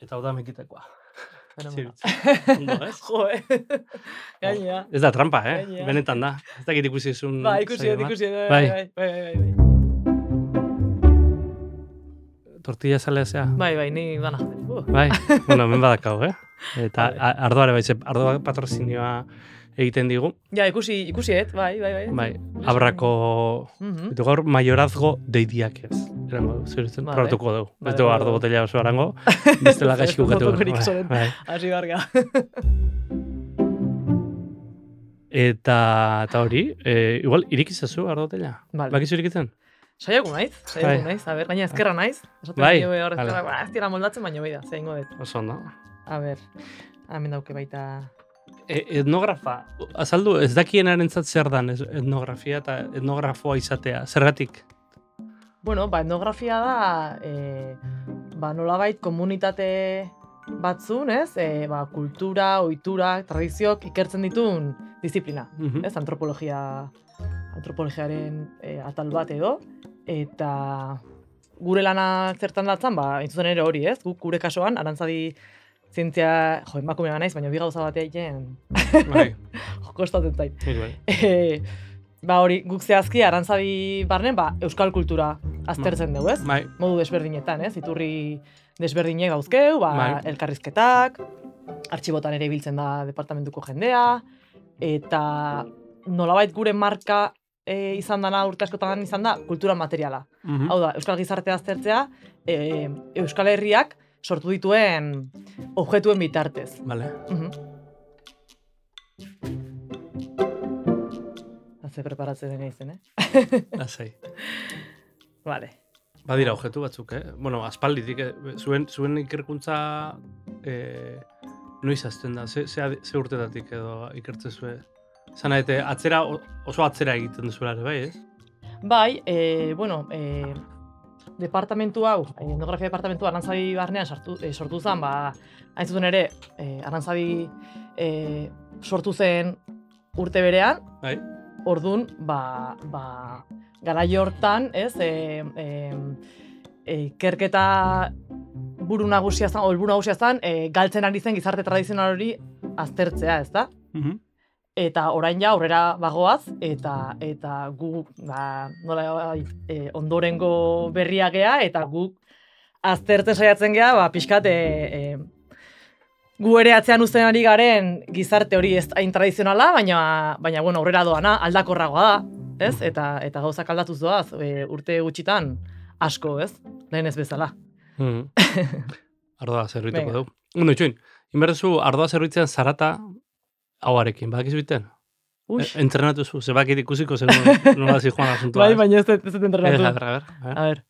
Eta hau da mekitekoa. Ondo, ez? Jo, gainea. Ez da trampa, Gainea. Benetan da. Ez dakit ikusi ezun... Ba, ikusi, Bai. bai. Tortilla salea zea? Bai, ni dana. Bai, bueno, hemen badakau, Eta Vale. ardoare bai, ardoa patrozinioa egiten digu. Ja, ikusi, bai. Bai, abrako... Eta gaur mayorazgo deidiak ez. Erango, zuritzen, Vale. probatuko dugu. Vale, Ez dugu vale. ardo botella oso arango, bestela gaixku gatu. Bai. Hasi barga. Eta hori, igual irikizazu ardo botella? Vale. Bakizu irikitzen? Saiago naiz, a ber, gaina ezkerra naiz. Bai, Hor ezkerra, ez dira moldatzen, baina bai da, zeingo dut. Oso ondo. A ber, hemen dauke baita... Etnografa, azaldu, ez dakienarentzat zer dan etnografia eta etnografoa izatea, zergatik? Bueno, etnografia da, nolabait komunitate batzun, ez? Kultura, ohitura, tradizioak ikertzen ditun disiplina, ez? Antropologiaren atal bat edo, eta gure lana zertan datzan, intzuzen ere hori, ez? Gure kasuan, Arantzadi zientzia, emakumea naiz, baina bi gauza batea egiten, Bai. kostatzen zait. Bai. Hori, guk zehazki, Arantzadi barnen, euskal kultura aztertzen dugu, ez? Bai. Modu desberdinetan, ez? Iturri desberdinek dauzkeu, elkarrizketak, artxibotan ere ibiltzen da departamentuko jendea, eta nolabait gure marka izan dana, urte askotan izan da, kultura materiala. Hau da, euskal gizartea aztertzea, euskal herriak sortu dituen objektuen bitartez. Vale. Ze preparatzen dena izen, Lasai. Vale. Badira objektu batzuk, Bueno, aspalditik, zuen ikerkuntza noiz azten da, ze urtetatik edo ikertzen zuen? Zana, oso atzera egiten duzuela ere, bai, ez? Bai, departamentu hau, etnografia departamentua Arantzadi barnean sortu zen, hain zuten ere, Arantzadi sortu zen urte berean, Bai. Orduan, garai hortan, ez, ikerketa helburu nagusia zen, galtzen ari zen gizarte tradizional hori aztertzea, ez da? Eta orain ja aurrera bagoaz, eta gu, ondorengo berria gea, eta guk aztertzen saiatzen gea, pixkat, gu ere atzean uzten ari garen gizarte hori ez hain tradizionala, baina aurrera doana, aldakorragoa da, ez? Eta gauzak aldatuz doaz, urte gutxitan asko, ez? Lehen ez bezala. Ardoa zerbituko dugu. Itxoin, inberdezu ardoa zerbitzean zarata hauarekin, badakizu biten? Entrenatu zu, zebakit ikusiko zen nola zijoan asuntua. Bai, baina ez dut entrenatu. A ver.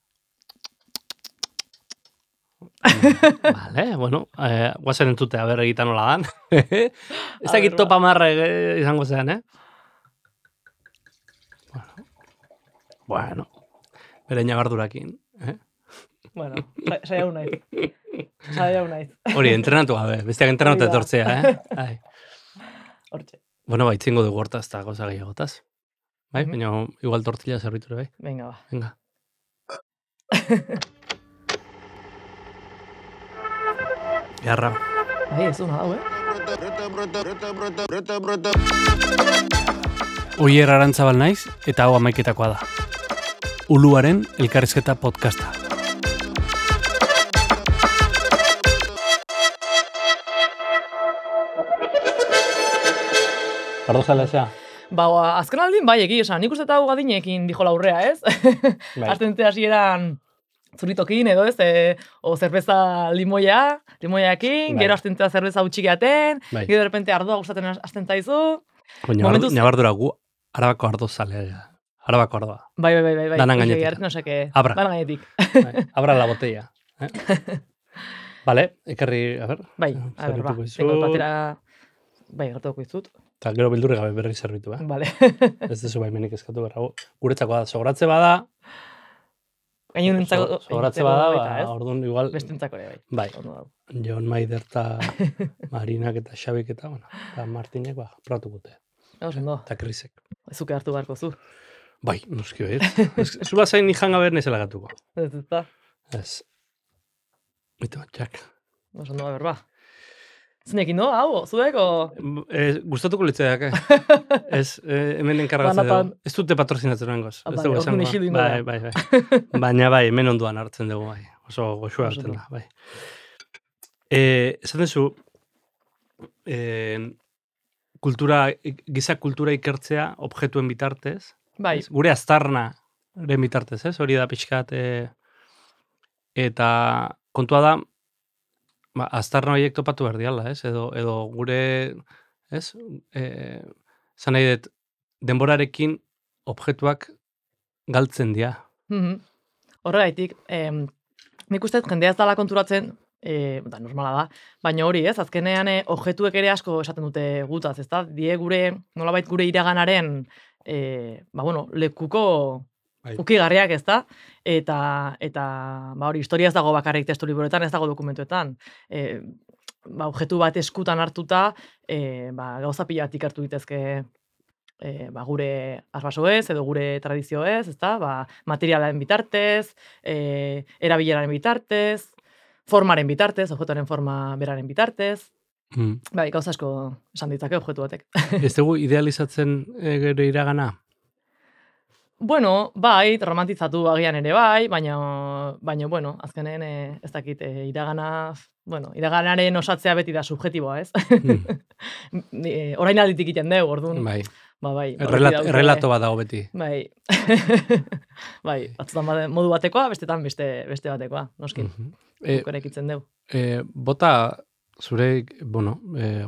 Vale, bueno, guazen entute, a ber, egiten nola dan. Ez dakit topa marra izango zean, Bueno, bere nabardurakin, Bueno, saiau naiz. Hori, entrenatu gabe, besteak entrenatu etortzea, Hortxe. Bueno, itzingo dugu hortaz eta gauza gehiagotaz. Bai, baina igual tortilla zerbiture, bai? Venga, ba. Venga. Garra. Bai, ez duna dau, Oier Arantzabal naiz eta hau amaiketakoa da. Uluaren elkarrizketa podcasta. Ardo zalezea? Azken aldin, egia esan, nik uste eta hau gadinekin dijo laurrea, ez? Aztente hasieran zuritokin edo, ez? O zerbeza limoiakin, gero aztentea zerbeza utxikeaten, gero derrepente ardoa gustaten aztentaizu. Nabardura gu, arabako ardo zalea. Arabako ardoa. Bai. Danan gainetik. Abra. Danan gainetik. Abra la botella. Vale, ekarri, a ber. Bai, a ber, tengo patera... Bai, gertuko izut. Eta gero bildurri gabe berri zerbitu, Vale. Ez dezu baimenik eskatu berrago. Guretzako da, sogratze bada... Gainunentzako... Sogratze bada, orduan igual... Bestentzako ere, bai. Jon Maider eta Marinak eta Xabik eta, eta Martinek, probatu gute. Eta Krisek. Zuke hartu beharko zu. Bai, nuski behir. Zu bazain nijan gabe nezela gatuko. Ez. Ez. Ito, Jack. Oso ondo, berba. Zinekin, no? Hau, zuek, o? Gustatuko litzeak, Ez, hemen enkargatzen dugu. Ez dute patrozinatzen nengoz. Bai. Baina bai, hemen onduan hartzen dugu, bai. Oso goxua hartzen da, bai. Esaten zu, giza kultura ikertzea objektuen bitartez. Bai. Gure aztarnaren bitartez, ez? Hori da pixkat, eta kontua da, aztarna horiek topatu behar diala, ez? Edo gure, ez? Zan nahi dut, denborarekin objektuak galtzen dira. Horregaitik, nik uste jendea ez dala konturatzen, normala da, baina hori ez, azkenean objektuek ere asko esaten dute gutaz, ez da? Die nolabait gure iraganaren, lekuko ukigarriak, ez da? Eta hori, historia ez dago bakarrik testu liburuetan, ez dago dokumentuetan. Objektu bat eskutan hartuta, gauza pila bat ikertu ditezke gure arbasoez, edo gure tradizioez, ez da? Materialaren bitartez, erabileraren bitartez, formaren bitartez, objektuaren forma beraren bitartez. Bai, gauza asko esan ditzake objektu batek. Ez dugu idealizatzen gero iragana? Bueno, bai, romantizatu agian ere bai, baina azkenen ez dakit iraganaren osatzea beti da subjetiboa, ez? Orain alditik egiten dugu, orduan. Bai. Bai. Errelato bat dago beti. Bai. Bai, batzutan modu batekoa, bestetan beste batekoa, noskin. Ekitzen dugu. Bota, zure,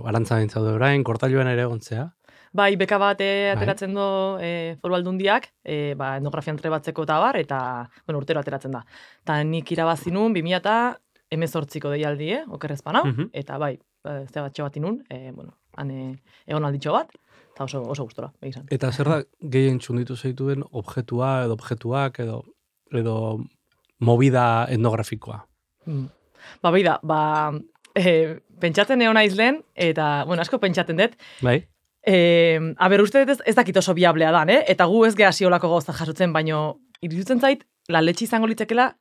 arantza dintzaude orain, kortailuan ere egontzea. Bai, beka bat ateratzen du Foru Aldundiak, etnografian trebatzeko eta bar, eta, urtero ateratzen da. Eta nik irabazi nun, 2018ko deialdi, okerrezpan hau, eta bai, zebatxe bat inun, han egon alditxo bat, eta oso gustora, begizan. Eta zer da gehien txunditu zeituen objektua, edo objektuak, edo movida etnografikoa? Beida, pentsatzen egon naiz lehen, eta, asko pentsatzen dut, bai. Uste dut ez dakit oso biablea dan, eta gu ez geha ziolako gauza jasotzen, baino iruditzen zait, laletxe izango litzekela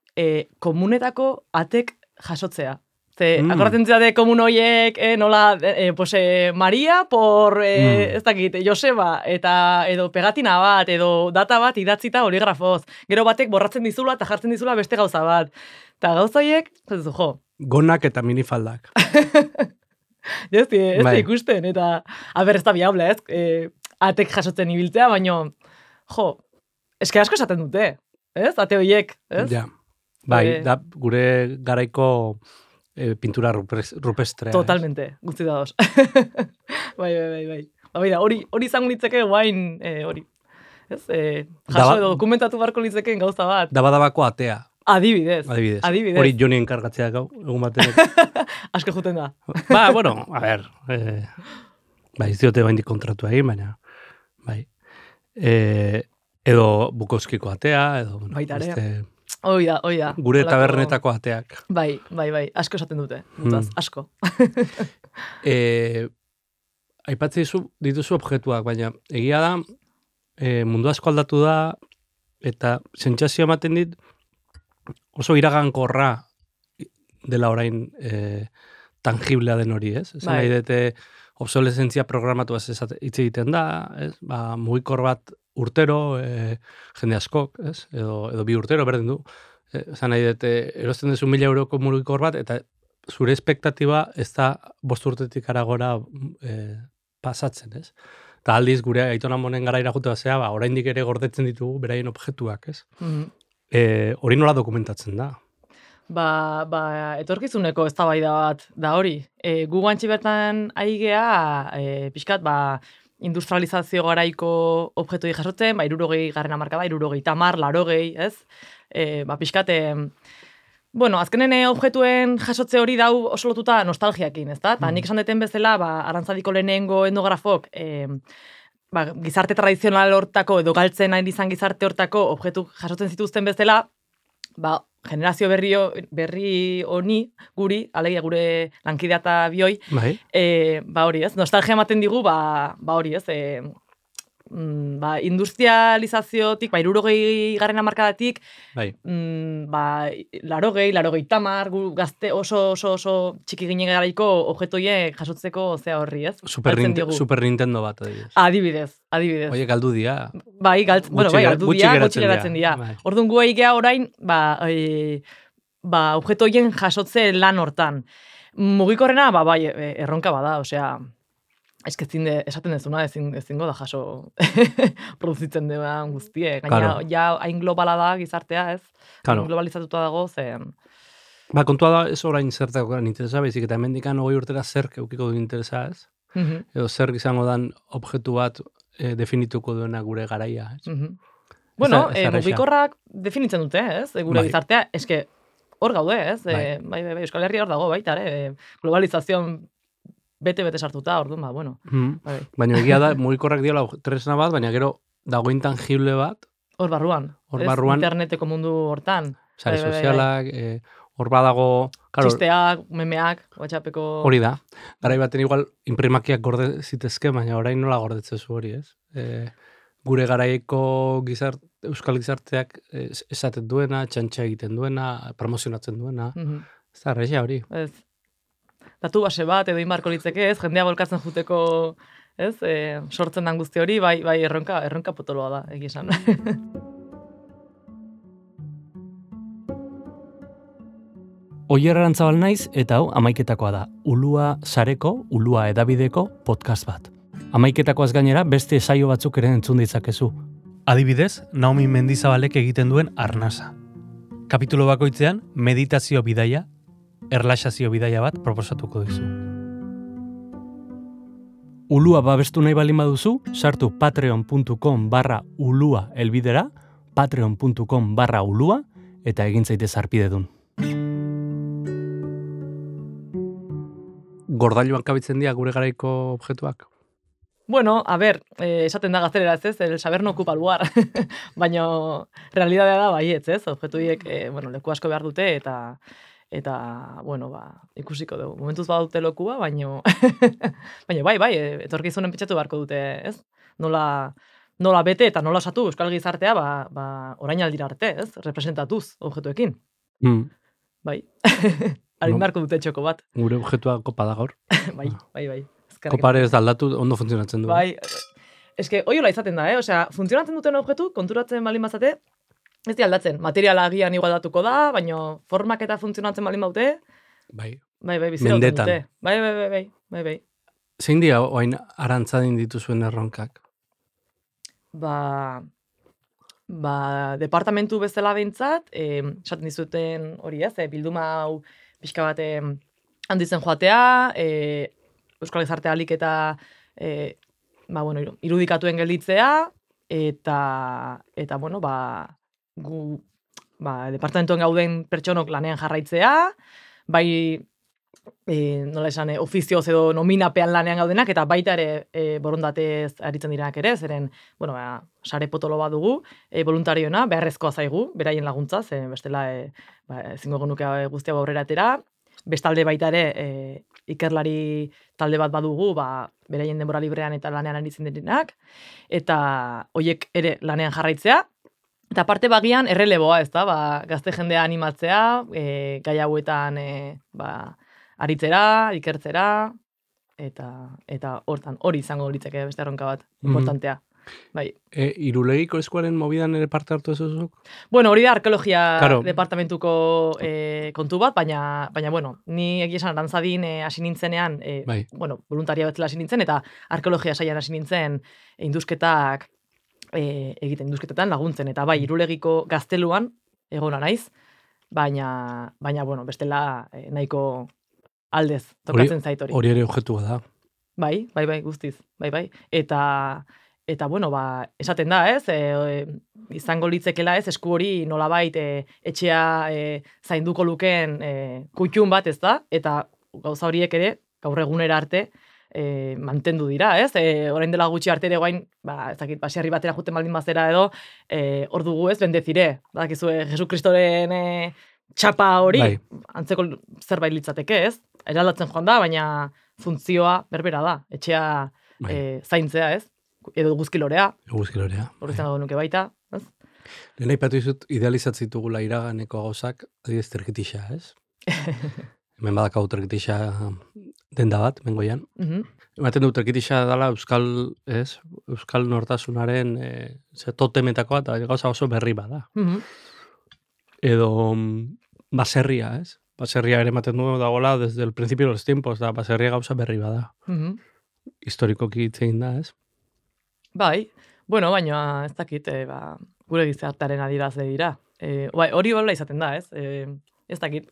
komunetako atek jasotzea. Akordatzen zate komun horiek, nola, Maria por, ez dakit, Joseba, edo pegatina bat, edo data bat idatzita oligrafoz. Gero batek borratzen dizula eta jartzen dizula beste gauza bat. Eta gauza horiek, gonak eta minifaldak. Ez ikusten, eta ez da biable, ez? Atek jasotzen ibiltzea, baino, eske asko esaten dute, ez? Ate horiek, ez? Ja, bai, da gure garaiko pintura rupestrea. Totalmente, guzti da dos. Bai. Hori izango litzeke guain, hori. Ez? Jaso edo dokumentatu barko litzekeen gauza bat. Dabadabako atea. Adibidez. Hori Joni enkargatzea gau, egun batenek. Asko juten da. A ber, ez diote baindik kontratu egin, baina, bai. Edo Bukowskiko atea, edo, baitare. Oida. Gure tabernetako ateak. Bai, asko esaten dute, asko. Aipatze dituzu objektuak, baina egia da, mundu asko aldatu da, eta sentsazio ematen dit, oso iragankorra dela orain tangiblea den hori, ez? Esan nahi dute obsolesentzia programatu hitz egiten da, ez? Mugikor bat urtero, jende askok, ez? Edo 2 urtero berdin du. Esan nahi dute erosten duzu 1.000 euroko mugikor bat, eta zure espektatiba ez da 5 urtetik aragora pasatzen, ez? Eta aldiz gure aitona monen gara irajute bazea, oraindik ere gordetzen ditugu beraien objektuak, ez? Hori nola dokumentatzen da? Etorkizuneko eztabaida bat da hori. Gu guantxi bertan aigea, pixkat, industrializazio garaiko objektu jasotzen, 60 garren hamarkada, 70, 80, ez? Pixkat, azkenen objektuen jasotze hori dau oso lotuta nostalgiakin, ez da? Nik esan deten bezala, Arantzadiko lehenengo etnografok, gizarte tradizional hortako, edo galtzen hain izan gizarte hortako objektu jasotzen zituzten bezala, generazio berri honi, alegia gure lankidea eta bioi, hori ez, nostalgia ematen digu, hori ez, industrializaziotik, 60. hamarkadatik, bai. 80, gu gazte oso txiki ginen garaiko objektoiek jasotzeko zea horri, ez? Super Nintendo bat, adibidez. Oie, galdu dia. Bai, galdu dia, gutxi geratzen dira. Orduan gu egea orain, objektoien jasotze lan hortan. Mugikorrena, bai, erronka bada, osea, esaten dezuna, ezingo da jaso produzitzen dira guztie. Gaina, ja, hain globala da gizartea, ez? Hain globalizatuta dago, zen... Kontua da, ez orain zertak interesa, baizik, eta hemendikan 20 urtera zerk eukiko du interesa, ez? Edo zer izango dan objektu bat definituko duena gure garaia, ez? Bueno, mugikorrak definitzen dute, ez? Gure gizartea, eske, hor gaude, ez? Bai, Euskal Herria hor dago, baita, globalizazion bete sartuta, orduan, bueno. Baina egia da, mugikorrak diola tresna bat, baina gero dago intangible bat. Hor barruan. Interneteko mundu hortan. Sare sozialak, hor badago... Txisteak, memeak, WhatsAppeko... Hori da. Garai baten igual imprimakiak gorde zitezke, baina orain nola gordetzezu hori, ez? Gure garaiko euskal gizarteak esaten duena, txantxa egiten duena, promozionatzen duena. Ez da, arrexia hori. Ez. Datu base bat, edo inbarko litzeke, ez? Jendea bolkatzen juteko, ez? Sortzen dan guzti hori, bai erronka potoloa da, egizan. Oier Arantzabal naiz, eta hau amaiketakoa da. Ulua sareko, Ulua edabideko podcast bat. Amaiketakoaz gainera beste saio batzuk ere entzun ditzakezu. Adibidez, Naomi Mendizabalek egiten duen Arnasa. Kapitulo bakoitzean meditazio bidaia, erlaxazio bidaia bat proposatuko dizu. Ulua babestu nahi balin baduzu, sartu patreon.com/ulua elbidera, patreon.com/ulua, eta egin zaitez arpidedun. Gordailuan kabitzen dira gure garaiko objektuak? Bueno, a ver, esaten da gaztelera ez, el saber no ocupa lugar. Baina realidadea da baietz, ez? Objektuiek, leku asko behar dute eta bueno, ikusiko dugu. Momentuz badute lokua, baina bai, etorkizunen pentsatu beharko dute, ez? Nola bete eta nola osatu euskal gizartea, orain aldira arte, ez? Representatuz objektuekin. Bai. Harin beharko dute txoko bat. Gure objektua kopa da gaur. Bai. Kopare ez aldatu, ondo funtzionatzen du. Bai, eske, oiola izaten da, Osea, funtzionatzen duten objektu, konturatzen balin bazate, ez di aldatzen. Materiala agian igualdatuko da, baina formak eta funtzionatzen balin baute. Bai. Bizirauten dute. Bai. Zein dira oain arantzadin dituzuen erronkak? Departamentu bezala behintzat, esaten dizuten hori ez, bilduma hau pixka bat handitzen joatea, euskal gizartea alik eta irudikatuen gelditzea, eta gu departamentoen gauden pertsonok lanean jarraitzea, bai nola esan, ofizioz edo nominapean lanean gaudenak, eta baita ere borondatez aritzen direnak ere, zeren, sare potolo bat dugu, voluntariona, beharrezkoa zaigu, beraien laguntza, zen bestela ezingo genuke guztia aurrera atera, bestalde baita ere ikerlari talde bat badugu, beraien denbora librean eta lanean aritzen direnak, eta hoiek ere lanean jarraitzea, eta parte bagian erreleboa, ez da, gazte jendea animatzea, gai hauetan aritzera, ikertzera, eta hortan, hori izango litzake beste erronka bat, importantea. Bai. Irulegiko eskuaren mobidan ere parte hartu ezuzuk? Bueno, hori da arkeologia departamentuko kontu bat, baina ni egia esan arantzadin hasi nintzenean, voluntaria betzela hasi nintzen, eta arkeologia saian hasi nintzen induzketak egiten, induzketetan laguntzen, eta bai, Irulegiko gazteluan egona naiz, baina bestela nahiko aldez tokatzen zait hori. Hori ere objektua da. Bai, guztiz, bai. Eta esaten da, ez, izango litzekela ez, esku hori nolabait etxea zainduko lukeen kutxun bat, ez da, eta gauza horiek ere, gaur egunera arte, mantendu dira, ez, orain dela gutxi arte ere guain, ez dakit, baserri batera juten baldin bazera edo, hor dugu ez, bendezire, badakizue, Jesu Kristoren txapa hori, antzeko zerbait litzateke, ez, eraldatzen joan da, baina funtzioa berbera da, etxea zaintzea, ez. edo guzkilorea. Eguzkilorea. Horretzen dago nuke baita, ez? Lehen aipatu izut idealizatzen ditugula iraganeko gauzak, adibidez tergitixa, ez? Hemen badakau tergitixa denda bat, mengoian. Ematen du tergitixa dela Euskal nortasunaren totemetako eta gauza oso berri bada. Edo baserria, ez? Baserria ere ematen du dagoela desde el principio de los tiempos, da baserria gauza berri bada. Historikoki itzein da, ez? Bai, bueno, baina ez dakit, gure gizartearen adirazle dira. Bai, hori hola izaten da, ez? Ez dakit.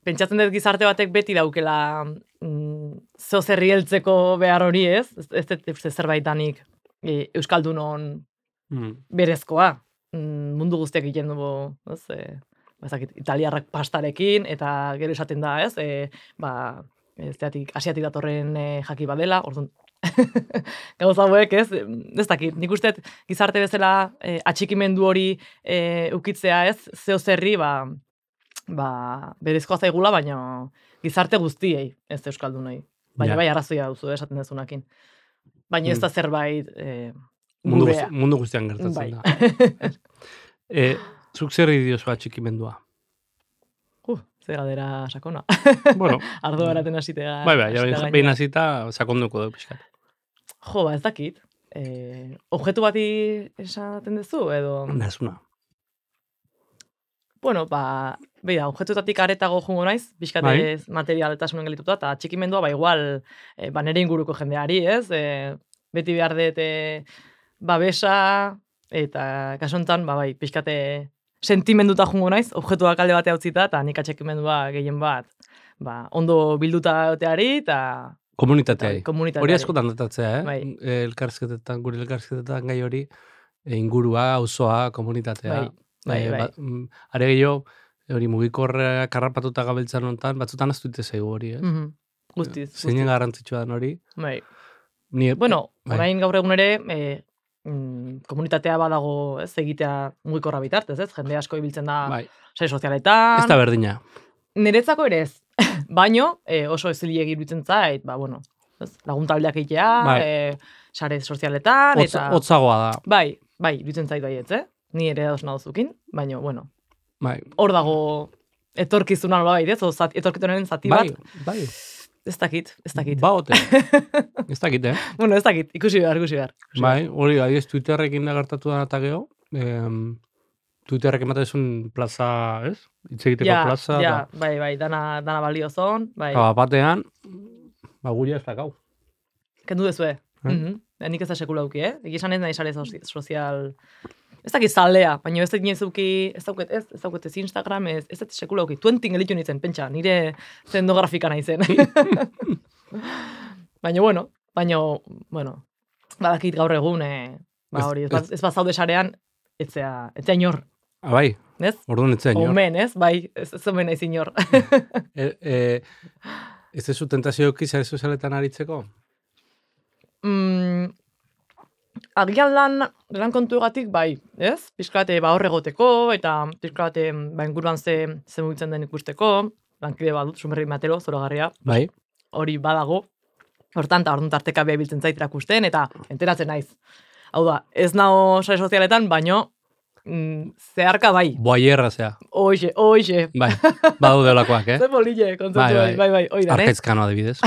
Pentsatzen dut gizarte batek beti daukela zeo zerri heltzeko behar hori, ez? Ez zerbait danik Euskaldunon berezkoa. Mundu guztiak egiten du, ez? Italiarrak pastarekin, eta gero esaten da, ez? Asiatik datorren jaki badela, orduan, gauza hauek, ez dakit, nik uste gizarte bezala atxikimendu hori ukitzea, ez? Zeo zerri, berezkoa zaigula, baina gizarte guztiei, ez euskaldunei. Baina bai arrazoia duzu, esaten dezunakin. Baina ez da zerbait mundu guztian gertatzen da. Zuk zer diozu atxikimendua? Ze galdera sakona. Bueno. Ardo beraten hasitea. Bai, behin hasita sakonduko du pixkat. Jo, ez dakit. Objektu bati esaten duzu, edo... Nazuna. Bueno, beida, objektuetatik aretago jungo naiz, pixkatez materialetasunen gelituta, eta atxikimendua, igual, nere inguruko jendeari, ez? Beti behar dut babesa, eta kasontan, pixkate sentimenduta jungo naiz, objektuak alde batea utzita, eta nik atxikimendua gehien bat, ondo bilduta oteari, eta... Komunitateari. Hori askotan datatzea, elkarrizketetan, gure elkarrizketetan gai hori, ingurua, auzoa, komunitatea. Are gehiago, hori mugikorra karrapatuta gabiltzan honetan, batzutan aztuite zaigu hori, ez? Guztiz. Zeinen garrantzitsua den hori. Bueno, orain gaur egun ere, komunitatea badago, ez, egitea mugikorra bitartez, ez? Jende asko ibiltzen da sare sozialetan. Ez da berdina. Niretzako ere ez. Baino, oso ezilegi iruditzen zait, laguntaldeak egitea, sare sozialetan, eta... Hotzagoa da. Bai, iruditzen zait baietz, Ni ere dauz nadozukin, baina, bueno. Hor dago etorkizuna nola ez? Etorkizunaren zati bat. Bai. Ez dakit. Ba, ote. Ez dakit, Bueno, ez dakit, ikusi behar. Bai, hori, adiez, Twitterrekin da gertatu da eta geho. Twitterrek ematen zuen plaza, ez? Itzegiteko plaza. Bai, dana baliozon. Batean, guri ez dakau. Kendu dezue. Nik ez da sekula duki, Egizan ez nahi sare sozial... Ez dakit zalea, baina ez dauket ez Instagram, ez dakit sekula duki. 20 gelitu nintzen, pentsa, nire zendografika nahi zen. Baina, badakit gaur egun, hori, ez bat zaude sarean, etzea inor. Bai, orduan etzea inor. Omen, ez? Bai, ez omen naiz inor. Ez ez tentazioki sare sozialetan aritzeko? Agian lan kontuegatik, bai, ez? Pixkate hor egoteko, eta pixkate inguruan ze mugitzen den ikusteko, lankide badut, Sumerri Matero, zoragarria. Bai. Hori badago. Hortan, eta orduan tarteka beha biltzen zait irakusten, eta enteratzen naiz. Hau da, ez nago sare sozialetan, baino zeharka bai. Boaierra zea. Oixe. Bai, badu deolakoak, Zer bolile, kontzeptu bai, oida, Arkaizkano adibidez.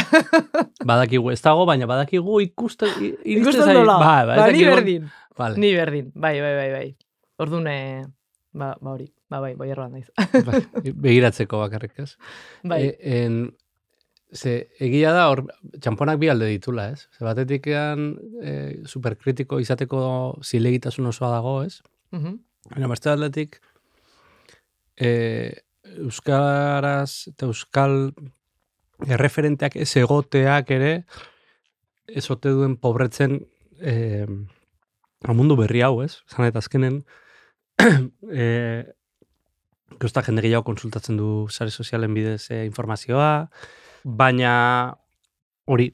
Badakigu, ez dago, baina badakigu ikusten dola. Ni berdin. Vale. Ni berdin, bai. Orduan, hori, boierroan naiz. Begiratzeko bakarrik, ez? Bai. Egia da, txamponak bi alde ditula, ez? Batetik superkritiko izateko zilegitasun osoa dago, ez? Baina beste aldetik, euskaraz eta euskal erreferenteak ez egoteak ere ez ote duen pobretzen mundu berri hau, ez? Zan eta azkenen guzta jende gehiago konsultatzen du sare sozialen bidez informazioa, baina hori,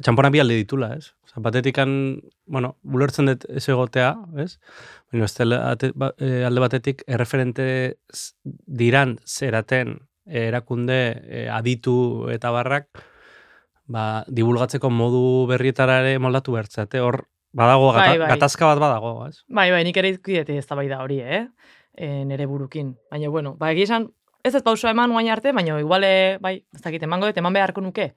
txampona bi alde ditula, ez? Batetikan, bulertzen dut ez egotea, ez? Baina alde batetik erreferente diran zeraten erakunde aditu eta barrak, divulgatzeko modu berrietara ere moldatu bertzate. Hor, Badago, Bai. gatazka bat badago, ez? Bai, nik ere izkidete ez da bai da hori, nere burukin. Baina, bueno, egia esan, ez pausua eman guain arte, baina igual, bai, ez dakit, emango dut, eman beharko nuke.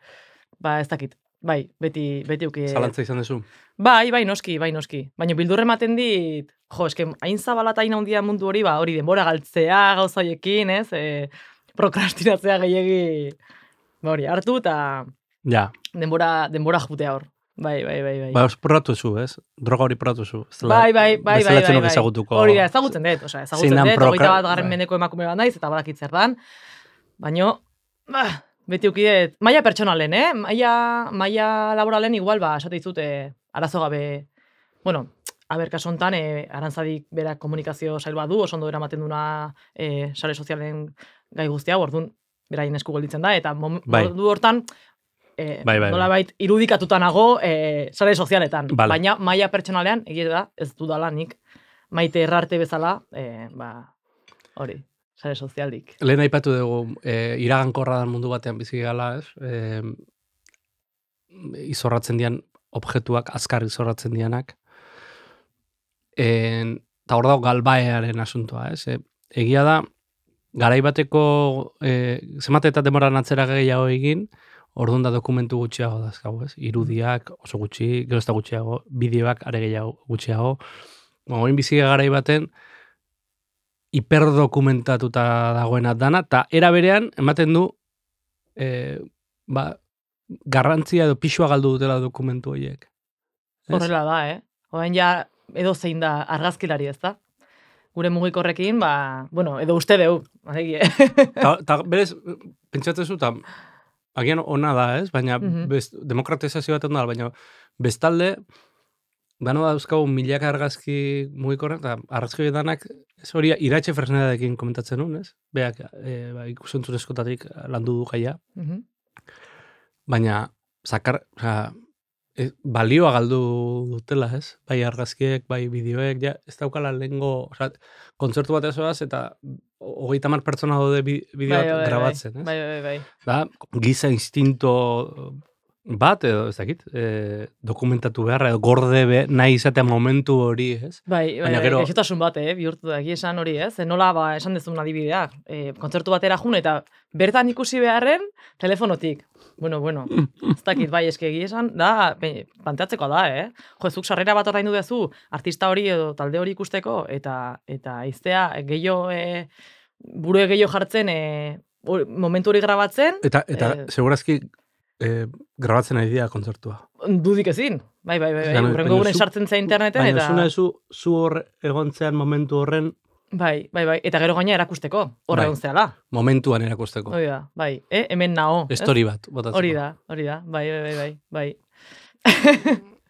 Ez dakit, bai, beti uki. Zalantza izan duzu? Bai, noski. Baina bildurre ematen dit, eske, hain zabala eta hain handia mundu hori, hori denbora galtzea gauza hoiekin, ez? Prokrastinatzea gehiegi, hori, hartu eta ja. denbora jutea hor. Bai. Porratu zu, ez? Droga hori porratu zu. Bai. Bezalatzen ezagutuko. Hori da, ezagutzen dut, 21 mendeko emakume bat naiz, eta badakit zer dan. Baina, beti ukidet, maila pertsonalen, maila laboralen igual, esate dizute, arazo gabe, bueno, kasu hontan, Arantzadik berak komunikazio sail bat du, oso ondo eramaten duna sare sozialen gai guztia, orduan, beraien esku gelditzen da, eta modu hortan, nolabait irudikatuta nago sare sozialetan. Baina maila pertsonalean, egia da, ez dudala nik Maite Errarte bezala, hori, sare sozialik. Lehen aipatu dugu, iragankorra dan mundu batean bizi gala, ez? Izorratzen dian objektuak, azkar izorratzen dianak. Eta hor dago galbaearen asuntoa, ez? Egia da, garaibateko zemate eta demoran atzera gehiago egin, orduan da dokumentu gutxiago dazkago, ez? Irudiak oso gutxi, gero ez da gutxiago, bideoak are gehiago gutxiago. Oin biziga garai baten, hiperdokumentatuta dagoena dana, eta era berean, ematen du, garrantzia edo pixua galdu dutela dokumentu horiek. Horrela da, Oain ja, edo zein da argazkilari, ez da? Gure mugikorrekin, edo uste deu. Ta berez, pentsatzezu, eta agian ona da, ez? Baina demokratizazio bat da, baina bestalde, dano dauzkagu milaka argazki mugikorren, eta argazki danak, ez hori Iratxe Fresnedadekin komentatzen nun, ez? Beak, ikusentzunezkotatik landu du gaia. Baina, balioa galdu dutela, ez? Bai argazkiek, bai bideoek, ez daukala lehengo, kontzertu bat ezoaz, eta 30 pertsona daude bideoak grabatzen, ez? Bai. Da, giza instinto bat, edo, ez dakit, dokumentatu beharra, edo gorde nahi izatea momentu hori, ez? Bai, gaixotasun bat, bihurtu da, esan hori, ez? Nola, esan dezun adibidea, kontzertu batera jun, eta bertan ikusi beharren, telefonotik. Bueno, ez dakit, bai, eske esan, da, planteatzeko da, zuk sarrera bat ordaindu duzu, artista hori edo talde hori ikusteko, eta iztea, burue gehiago jartzen, momentu hori grabatzen. Eta segurazki, grabatzen ari dira kontzertua. Dudik ezin. Bai. Urrengo guren sartzen zea interneten. Baina zuna zu hor egontzean momentu horren. Bai. Eta gero gaina erakusteko. Hor egon zehala. Momentuan erakusteko. Hori da, bai. Hemen nao. Story bat. Hori da. Bai.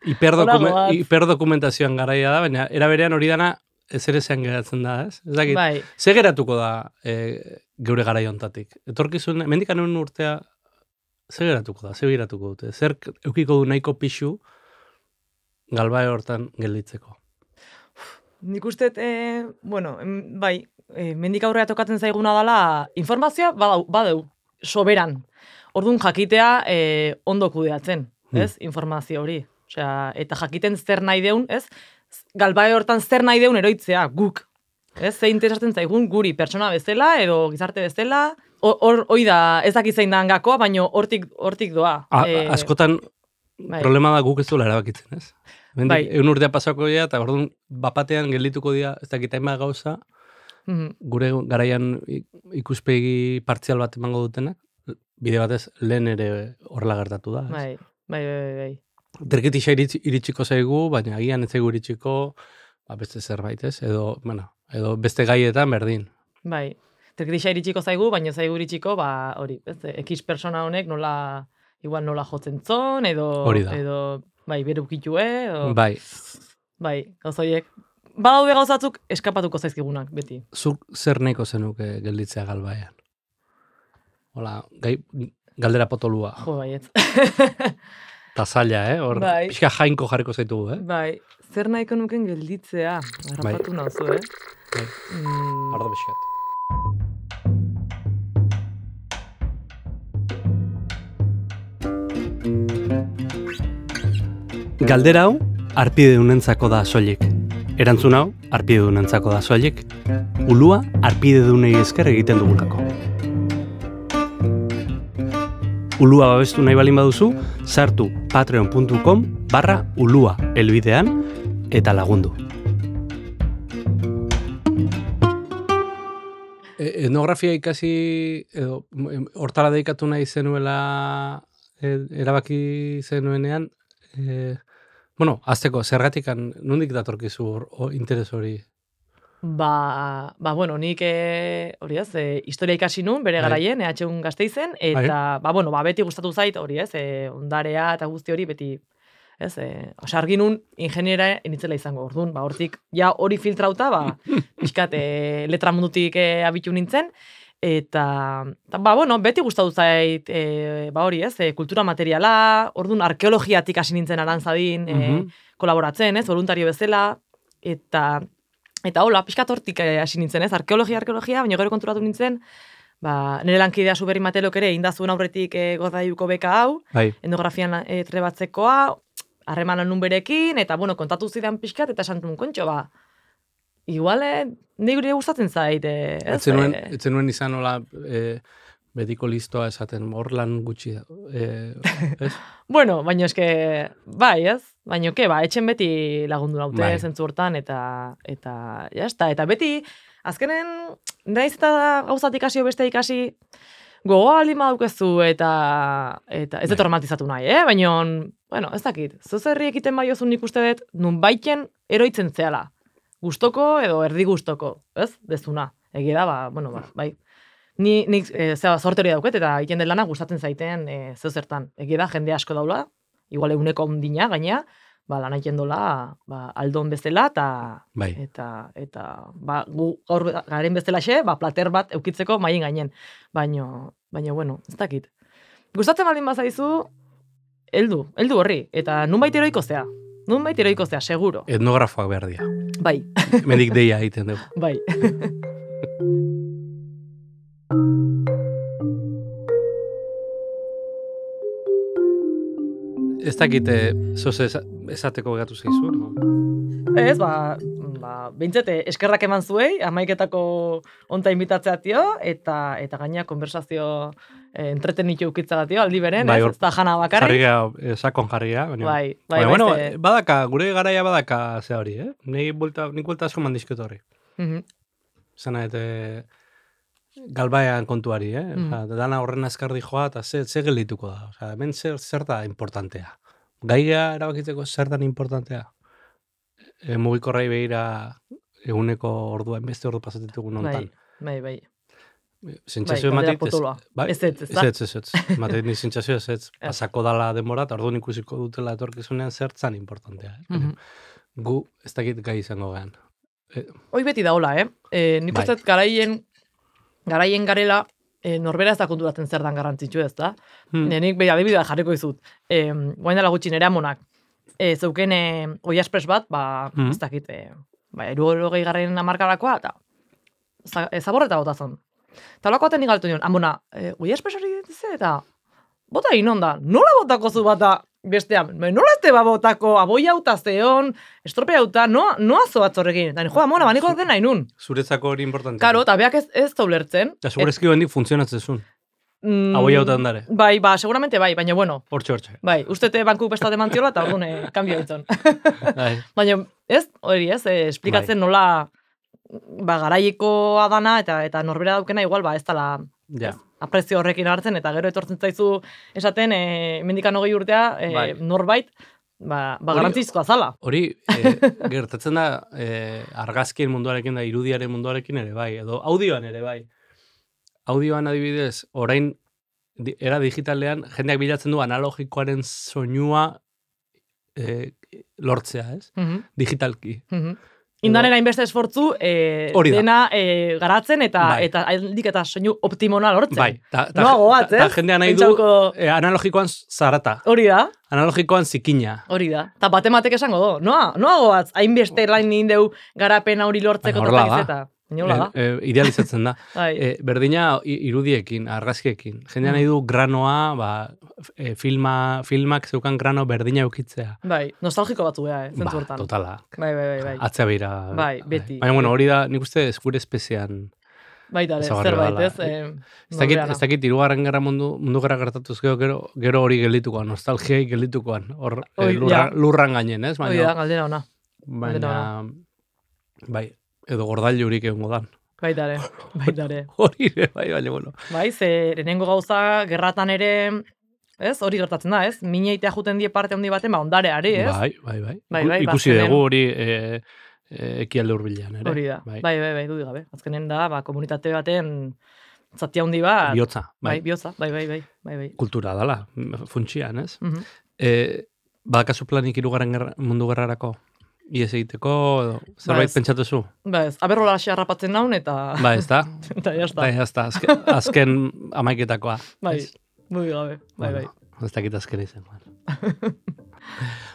Hiperdokumentazioan garaia da, baina eraberean hori dana ezerezean geratzen da, ez? Ez dakit. Bai. Ze geratuko da geure garai hontatik? Etorkizun, mendikan egun urtea, zer geratuko dute? Zer eukiko du nahiko pixu galbae hortan gelditzeko? Nik uste, bai, mendik aurrea tokatzen zaiguna dela, informazioa badeu, soberan. Orduan jakitea ondo kudeatzen, ez? Informazio hori. Osea, eta jakiten zer nahi deun, ez? Galbae hortan zer nahi deun eroitzea, guk. Ez? Ze interesatzen zaigun guri pertsona bezala, edo gizarte bezala, hori da, ez dakit zein da hangakoa, baina hortik doa. Askotan, problema da guk ez duela erabakitzen, ez? Egun urtea pasako dira, eta orduan bapatean geldituko dira, ez dakit hainbat gauza, gure garaian ikuspegi partzial bat emango dutenak, bide batez lehen ere horrela gertatu da. Bai. Terketisa iritsiko zaigu, baina agian ez zaigu iritsiko beste zerbait, ez? Edo beste gaietan berdin. Bai. Terketisa iritsiko zaigu, baina zaigu iritsiko, hori, X persona honek nola jotzen zon, edo bai, berukitue, edo... Bai, gauzoiek. Badaude gauzatzuk eskapatuko zaizkigunak, beti. Zuk zer nahiko zenuke gelditzea galbaean? Hola, galdera potolua. Jo, baiet. Ta zaila, hor, pixka jainko jarriko zaitugu, Bai, zer nahiko nuken gelditzea, harrapatu nauzu, Bai, ardo pixkat. Galdera hau, arpidedunentzako da soilik. Erantzun hau, arpidedunentzako da soilik. Ulua arpidedunei esker egiten dugulako. Ulua babestu nahi balin baduzu, sartu patreon.com/ulua helbidean eta lagundu. Etnografia ikasi, edo, hortara dedikatu nahi zenuela erabaki zenuenean, azteko, zergatikan, nondik datorkizu interes hori? Bueno, nik hori ez, historia ikasi nun, bere garaien, EHUn Gasteizen, eta, beti gustatu zait, hori ez, ondarea eta guzti hori beti, ez, argi nun ingeniera initzela izango, orduan, hortik, ja hori filtrauta, pixkat, letra mundutik abitu nintzen, eta, beti gustatu zait, hori ez, kultura materiala, orduan, arkeologiatik hasi nintzen arantzadin, kolaboratzen, ez, voluntario bezala, eta hola, pixkat hortik hasi nintzen, ez, arkeologia, baina gero konturatu nintzen, nire lankidea Zuberri Matelok ere, indazuen aurretik Gordailuko beka hau, etnografian trebatzekoa, harremanan nun berekin, eta, kontatu zidan pixkat, eta esan duen kontxo, igual, nire gustatzen zait, ez? Etzen nuen izan hola, betiko listoa esaten, hor lan gutxi da, ez? Baina eske, ez? Baina, etxen beti lagundu naute zentzu hortan, eta jazta, eta beti, azkenen, naiz eta gauzat ikasi beste ikasi, gogoa aldin badaukezu, eta ez dut romantizatu nahi, baina, ez dakit, zuzerri ekiten baiozun nik uste dut, nun baiten eroitzen zehala, gustoko edo erdi gustoko, ez? Dezuna, egia da, bai. Nik zorte hori dauket, eta egiten den lana gustatzen zaiten zertan. Egia da, jende asko daula, igual eguneko ondina, gaina, lan egiten dola, aldon bezala, eta gu gaur garen bezalaxe, plater bat eukitzeko maien gainen. Baina, ez dakit. Gustatzen baldin bazaizu, heldu horri, eta nunbait eroiko zea, seguro. Etnografoak behar dira. Bai. Mendik deia egiten dugu. Bai. Ez dakit, esateko gatu zeizu, no? Ez, bintzete, eskerrak eman zuei, amaiketako onta invitatzea tio, eta gaina konversazio entretenitu ukitzagatio, aldi beren, ez da jana bakarrik. Sakon jarria. Bai, badaka, gure garaia badaka ze hori, Nik buelta asko mandizkut horri. Zena, galbaean kontuari, dana horren azkardi joa, eta ze geldituko da. Hemen zer da importantea. Gaia erabakitzeko zer da importantea. Mugikorrai behira eguneko ordua, beste ordu pasatetugu nontan. Bai. Sentsazio ematit, ez. Ematit ni sentsazio ez. Pasako dala denbora, eta orduan ikusiko dutela etorkizunean zertzan importantea. Gu ez dakit gai izango gehan. Hoi beti da hola, nik uste garaien garela, norbera ez da konturatzen zer dan garrantzitsu ez da. Nik behi adibidea jarriko izut. Guain dela gutxi nire amonak. Zeuken Oia Express bat, ez dakit, 60 hamarkadakoa, eta zaborreta botazon. Eta holako baten nigaltu nion, amona, Oia Express hori ditzen, eta bota inon da, nola botako zu bata bestean, nola ez teba botako aboi hauta zeon, estropea hauta, noa zoatzorrekin. Eta jo, amona, baniko den nahi nun. Zuretzako hori importante. Karo, eta beak ez zaulertzen. Eta segurezki bendik funtzionatzen zuen. Aboi hauta dare. Bai, seguramente bai, baina bueno. Hortxe. Bai, ustete banku bestate mantiola, eta orduan kambio ditzen. Baina, hori esplikatzen nola garaiekoa dana, eta norbera daukena igual, ez dala aprezio horrekin hartzen, eta gero etortzen zaizu esaten, mendikan 20 urtea, norbait, garantzizkoa zala. Hori, gertatzen da, argazkien munduarekin da, irudiaren munduarekin ere bai, edo audioan ere bai. Audioan adibidez, orain, era digitalean, jendeak bilatzen du analogikoaren soinua lortzea, ez? Digitalki. Indanera inbeste esfortzu, dena garatzen eta aldik eta soinu optimona lortzen. Bai, noa goaz, ez? Eta jendea nahi du analogikoan zarata. Hori da. Analogikoan zikina. Hori da. Eta batematek esango do. Noa goaz, hainbeste lain nindeu garapena hori lortzeko totakiz eta. Inola da. Idealizatzen da. Bai. Berdina irudiekin, argazkiekin. Jendea nahi du granoa, filmak zeukan grano berdina eukitzea. Bai, nostalgiko batzu beha, zentzu hortan. Totala. Bai. Atzea beira. Bai, beti. Baina, bueno, hori da, nik uste gure espezian. Baita, zerbait, ez? Ez dakit, Hirugarren Gerra mundu gerra gertatuz gero hori gelditukoan, nostalgiai gelditukoan, lurran gainen, ez? Hori da, galdera ona. Baina, bai, edo gordailurik egongo dan. Baitare. Hori ere, baina, bueno. Bai, lehenengo gauza, gerratan ere, ez? Hori gertatzen da, ez? Mineitea juten die parte handi baten, ondareari, ez? Bai. Ikusi dugu hori ekialde hurbilean, ere. Hori da, bai, dudik gabe. Azkenen da, komunitate baten zati handi bat. Biotza, bai. Biotza, bai. Kultura dala, funtsian, ez? Badakazu planik Hirugarren mundu gerrarako? Iez egiteko, zerbait pentsatuzu? Ba ez, aberrola hasi harrapatzen naun, eta... Ba ez da? Eta jazta. Azken amaiketakoa. Bai, dudik gabe, bai. Ez dakit azken izan.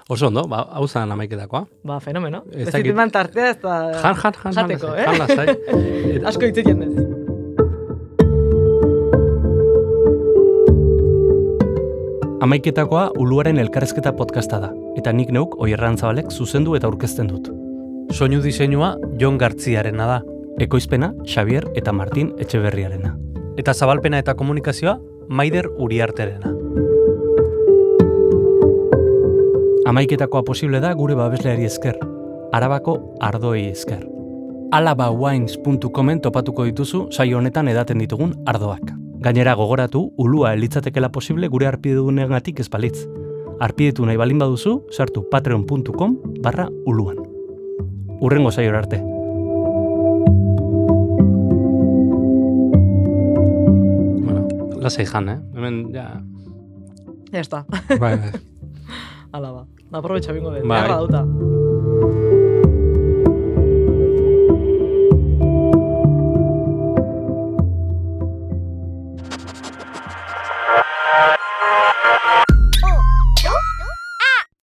Oso ondo, hau zan amaiketakoa. Ba, fenomeno. Ez ziteman tartea, ez da... Jateko, Jan lasai. Asko hitzik jendez. Amaiketakoa Uluaren elkarrezketa podcasta da, eta nik neuk Oier Arantzabalek zuzendu eta aurkezten dut. Soinu diseinua Jon Gartziarena da, ekoizpena Xavier eta Martin Etxeberriarena. Eta zabalpena eta komunikazioa Maider Uriarterena. Amaiketakoa posible da gure babesleari esker, Arabako ardoei esker. alabawines.comen topatuko dituzu saio honetan edaten ditugun ardoak. Gainera gogoratu, ulua elitzatekela posible gure arpidedunegatik ez balitz. Arpidetu nahi balin baduzu, sartu patreon.com/uluan. Urrengo saiora arte. Bueno, lasai jan, hemen, ja... Ya está. Bai. Ala ba. Aprobetxa bingo dut. Bai. Dauta.